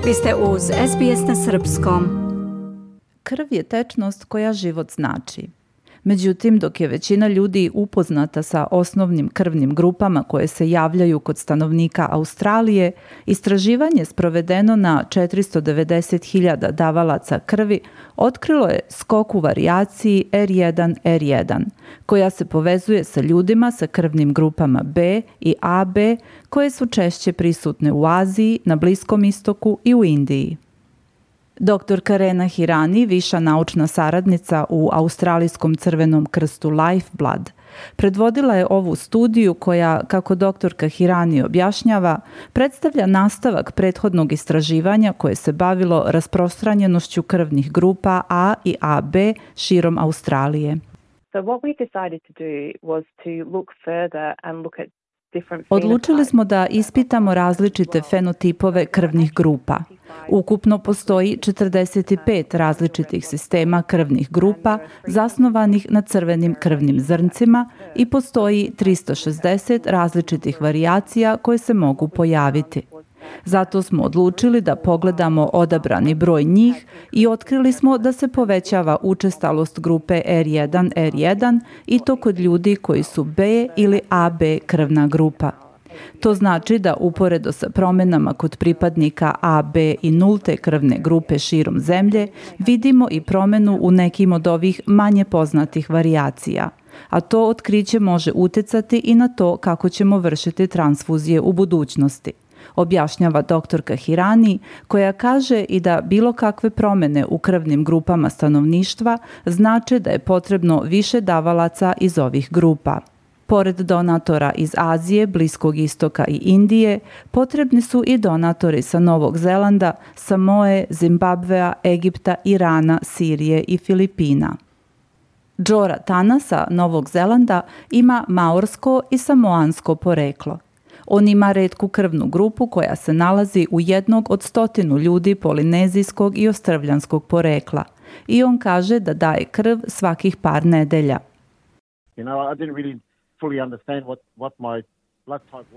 Vi ste uz SBS na srpskom. Krv je tečnost koja život znači. Međutim, dok je većina ljudi upoznata sa osnovnim krvnim grupama koje se javljaju kod stanovnika Australije, istraživanje sprovedeno na 490.000 davalaca krvi otkrilo je skok u varijaciji R1-R1, koja se povezuje sa ljudima sa krvnim grupama B i AB, koje su češće prisutne u Aziji, na Bliskom istoku i u Indiji. Dr. Karena Hirani, viša naučna saradnica u Australijskom crvenom krstu Lifeblood, predvodila je ovu studiju koja, kako doktorka Hirani objašnjava, predstavlja nastavak prethodnog istraživanja koje se bavilo rasprostranjenošću krvnih grupa A i AB širom Australije. So what we decided to do was to look further and look at Odlučili smo da ispitamo različite fenotipove krvnih grupa. Ukupno postoji 45 različitih sistema krvnih grupa zasnovanih na crvenim krvnim zrncima i postoji 360 različitih varijacija koje se mogu pojaviti. Zato smo odlučili da pogledamo odabrani broj njih i otkrili smo da se povećava učestalost grupe R1-R1 i to kod ljudi koji su B ili AB krvna grupa. To znači da uporedo sa promenama kod pripadnika AB i nulte krvne grupe širom zemlje vidimo i promenu u nekim od ovih manje poznatih varijacija, a to otkriće može uticati i na to kako ćemo vršiti transfuzije u budućnosti, objašnjava doktorka Hirani, koja kaže i da bilo kakve promene u krvnim grupama stanovništva znače da je potrebno više davalaca iz ovih grupa. Pored donatora iz Azije, Bliskog istoka i Indije, potrebni su i donatori sa Novog Zelanda, Samoe, Zimbabvea, Egipta, Irana, Sirije i Filipina. Džora Tana sa Novog Zelanda ima maorsko i samoansko poreklo. On ima retku krvnu grupu koja se nalazi u jednog od 100 ljudi polinezijskog i ostrvljanskog porekla i on kaže da daje krv svakih par nedelja.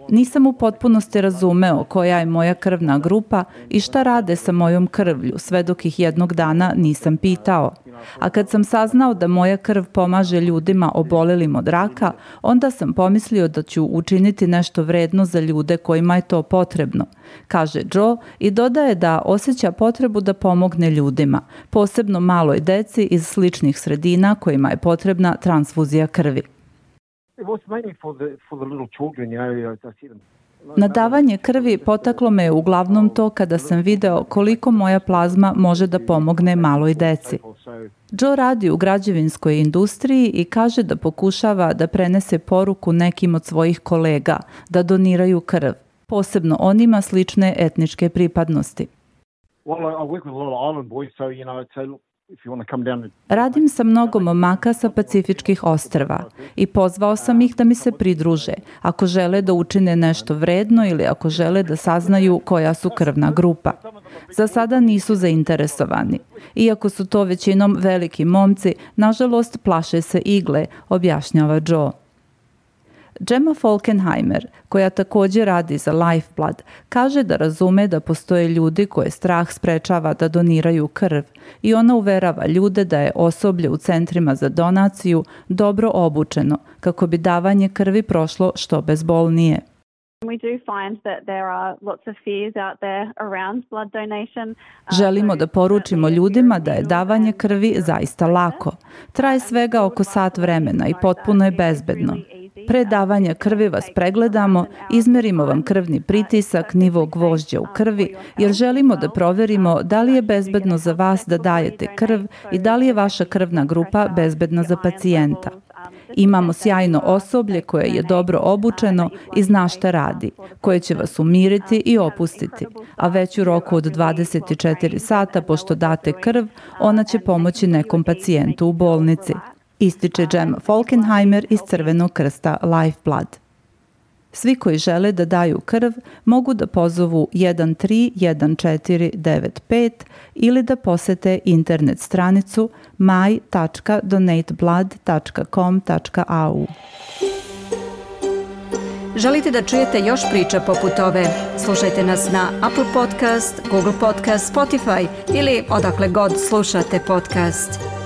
Nisam u potpunosti razumeo koja je moja krvna grupa i šta rade sa mojom krvlju, sve dok ih jednog dana nisam pitao. A kad sam saznao da moja krv pomaže ljudima obolelim od raka, onda sam pomislio da ću učiniti nešto vredno za ljude kojima je to potrebno, kaže Joe i dodaje da osjeća potrebu da pomogne ljudima, posebno maloj deci iz sličnih sredina kojima je potrebna transfuzija krvi. Na davanje krvi potaklo me uglavnom to kada sam video koliko moja plazma može da pomogne maloj deci. Joe radi u građevinskoj industriji i kaže da pokušava da prenese poruku nekim od svojih kolega da doniraju krv, posebno onima slične etničke pripadnosti. Radim sa mnogo momaka sa Pacifičkih ostrva i pozvao sam ih da mi se pridruže ako žele da učine nešto vredno ili ako žele da saznaju koja su krvna grupa. Za sada nisu zainteresovani. Iako su to većinom veliki momci, nažalost plaše se igle, objašnjava Joe. Gemma Falkenheimer, koja također radi za Lifeblood, kaže da razume da postoje ljudi koje strah sprečava da doniraju krv i ona uverava ljude da je osoblje u centrima za donaciju dobro obučeno kako bi davanje krvi prošlo što bezbolnije. Želimo da poručimo ljudima da je davanje krvi zaista lako. Traje svega oko sat vremena i potpuno je bezbedno. Pre davanja krvi vas pregledamo, izmerimo vam krvni pritisak, nivo gvožđa u krvi, jer želimo da proverimo da li je bezbedno za vas da dajete krv i da li je vaša krvna grupa bezbedna za pacijenta. Imamo sjajno osoblje koje je dobro obučeno i zna šta radi, koje će vas umiriti i opustiti, a već u roku od 24 sata pošto date krv, ona će pomoći nekom pacijentu u bolnici, ističe Gemma Falkenheimer iz Crvenog krsta Lifeblood. Svi koji žele da daju krv mogu da pozovu 131495 ili da posete internet stranicu my.donateblood.com.au. Želite da čujete još priča poput ove? Slušajte nas na Apple Podcast, Google Podcast, Spotify ili odakle god slušate podcast.